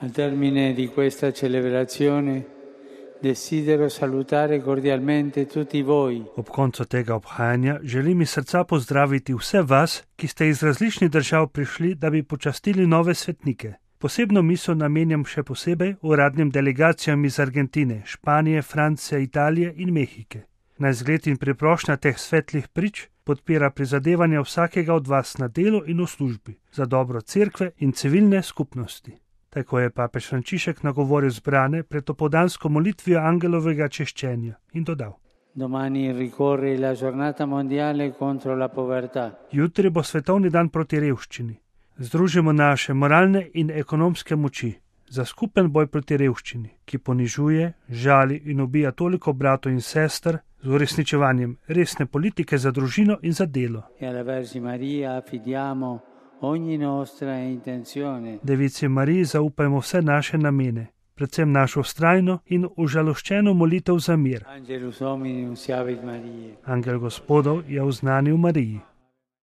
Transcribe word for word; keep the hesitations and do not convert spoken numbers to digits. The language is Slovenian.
Al termine di questa celebrazione desidero salutare cordialmente tutti voi. Ob koncu tega obhajanja želim iz srca pozdraviti vse vas, ki ste iz različnih držav prišli, da bi počastili nove svetnike. Posebno misel namenjam še posebej uradnim delegacijam iz Argentine, Španije, Francije, Italije in Mehike. Naj zgled in priprošnja teh svetlih prič podpira prizadevanja vsakega od vas na delu in v službi za dobro cerkve in civilne skupnosti. Tako je papež Frančišek nagovoril zbrane pred opoldansko molitvijo angelovega češčenja in dodal: Domani ricorre la giornata mondiale contro la povertà. Jutri bo svetovni dan proti revščini. Združimo naše moralne in ekonomske moči za skupen boj proti revščini, ki ponižuje, žali in ubija toliko bratov in sester, z uresničevanjem resne politike za družino in za delo. E alla Vergine Maria affidiamo ogni nostra intenzione. Devici Mariji zaupajmo vse naše namene, predvsem našo vztrajno in užaloščeno molitev za mir. Angelus Dominus siavit Mariae. Angel Gospodov je oznanil Mariji.